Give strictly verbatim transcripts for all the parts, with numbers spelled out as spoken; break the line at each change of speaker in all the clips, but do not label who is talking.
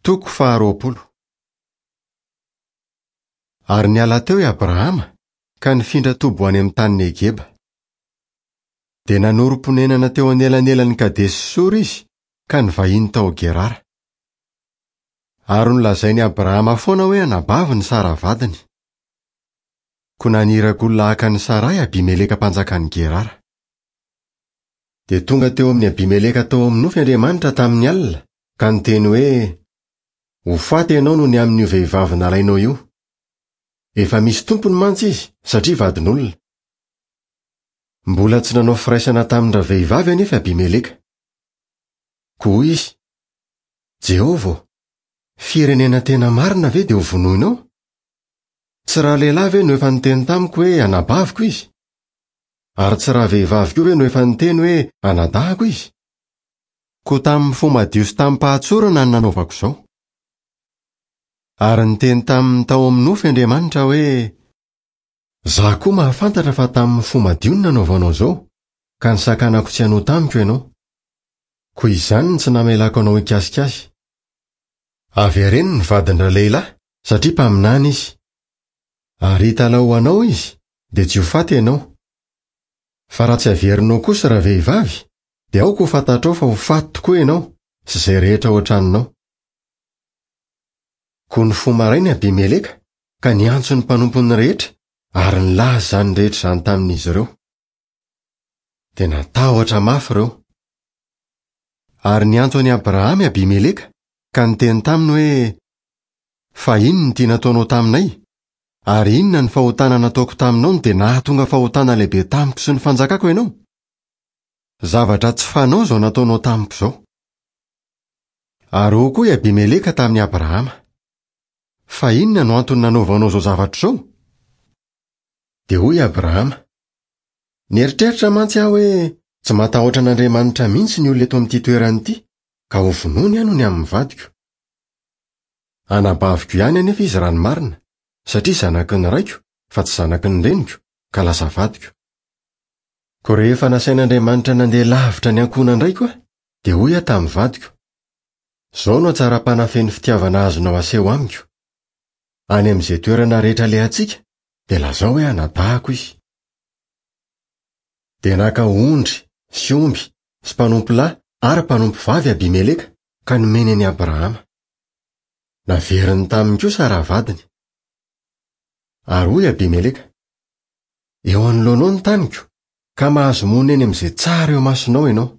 Toko faharoapolo. Ary niala teo i Abrahama ka nifindra toby ho any amin'ny tany Negeba. Dia nanorim-ponenana teo anelanelan'i Kadesy sy Sora izy ka nivahiny tao Gerara. Ary nolazain'i Abrahama foana hoe anabaviny Sara vadiny. Koa naniraka olona haka an'i Sara i Abimeleka mpanjakan'i Gerara. Dia tonga teo amin'i Abimeleka tao amin'ny nofy Andriamanitra tamin'ny alina ka niteny hoe: Ho faty ianao noho ny amin'io vehivavy nalainao io. Efa misy tompony mantsy izy satria vadin'olona. Mbola tsy nanao firaisana tamin-dravehivavy anefa Abimeleka. Koa hoy izy: Jehovah ô, firenena tena marina ve dia ho vonoinao? Tsy ralehilahy ve no efa niteny tamiko hoe anabaviko izy? Ary tsy ravehivavy koa ve no efa niteny hoe anadahako izy? Koa tamin'ny fo madio sy tamim-pahatsorana no nanaovako izao. Ary niteny taminy tao amin'ny nofy Andriamanitra hoe: Izaho koa mahafantatra fa tamin'ny fo madio no nanaovanao izao, ka nisakanako tsy hanota amiko ianao. Koa izany no tsy namelako anao hikasika azy. Avereno ny vadin-dralehilahy satria mpaminany izy. Ary hitalaho ho anao izy, dia tsy ho faty ianao. Fa raha tsy averinao kosa ravehivavy, dia aoka ho fantatrao fa ho faty tokoa ianao sy izay rehetra ao an-tranonao. Koa nifoha maraina Abimeleka ka niantso ny mpanompony rehetra ary nilaza izany rehetra izany tamin'izy ireo. Dia natahotra mafy ireo. Ary niantso an'i Abrahama i Abimeleka ka niteny taminy hoe: Fa inona no tiana ataonao taminay? Ary inona ny fahotana nataoko taminao no dia nahatonga fahotana lehibe tamiko sy ny fanjakako ianao? Zavatra tsy fanao izao nataonao tamiko izao. Ary hoy koa i Abimeleka tamin'i Abrahama: Fa inona no antony nanaovanao izao zavatra izao? Dia hoy Abrahama: Nieritreritra mantsy aho hoe tsy matahotra an'Andriamanitra mihitsy ny olona eto amin'ity toerana ity, ka ho vonoiny aho noho ny amin'ny vadiko. Anabaviko ihany anefa izy raha ny marina, satria zanaky ny raiko fa tsy zanaky ny reniko, ka lasa vadiko. Koa rehefa nasain'Andriamanitra nandeha lavitra ny ankohonan-draiko aho, dia hoy aho tamin'ny vadiko: Izao no hatsaram-panahy feno fitiavana azonao aseho amiko. Any amin'izay toerana rehetra alehantsika, dia lazao hoe anadahako izy. Dia naka ondry sy omby sy mpanompo lahy ary mpanompo vavy Abimeleka ka nomeny an'i Abrahama. Naveriny taminy kosa rahavadiny. Ary hoy Abimeleka: Eo anoloanao ny taniko, ka mahazo monina eny amin'izay tsara eo imasonao ianao.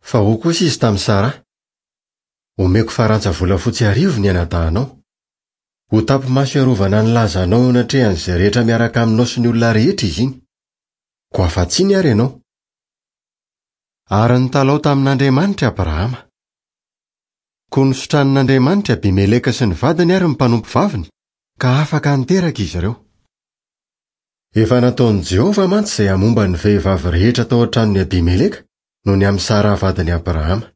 Fa hoy kosa izy tamin'i Sara: Omeko farantsa volafotsy arivo ny anadahinao. Ho tapi-maso hiarovana ny lazanao eo anatrehan'izay rehetra miaraka aminao sy ny olona rehetra izy iny. Koa afa-tsiny ary ianao. Ary nitalaho tamin'Andriamanitra Abrahama. Koa nosotranin'Andriamanitra Abimeleka sy ny vadiny ary ny mpanompo vaviny, ka afaka niteraka izy ireo. Efa nataon'i Jehovah mantsy izay hamomba ny vehivavy rehetra tao an-tranon'i Abimeleka noho ny amin'i Sara vadin'i Abrahama.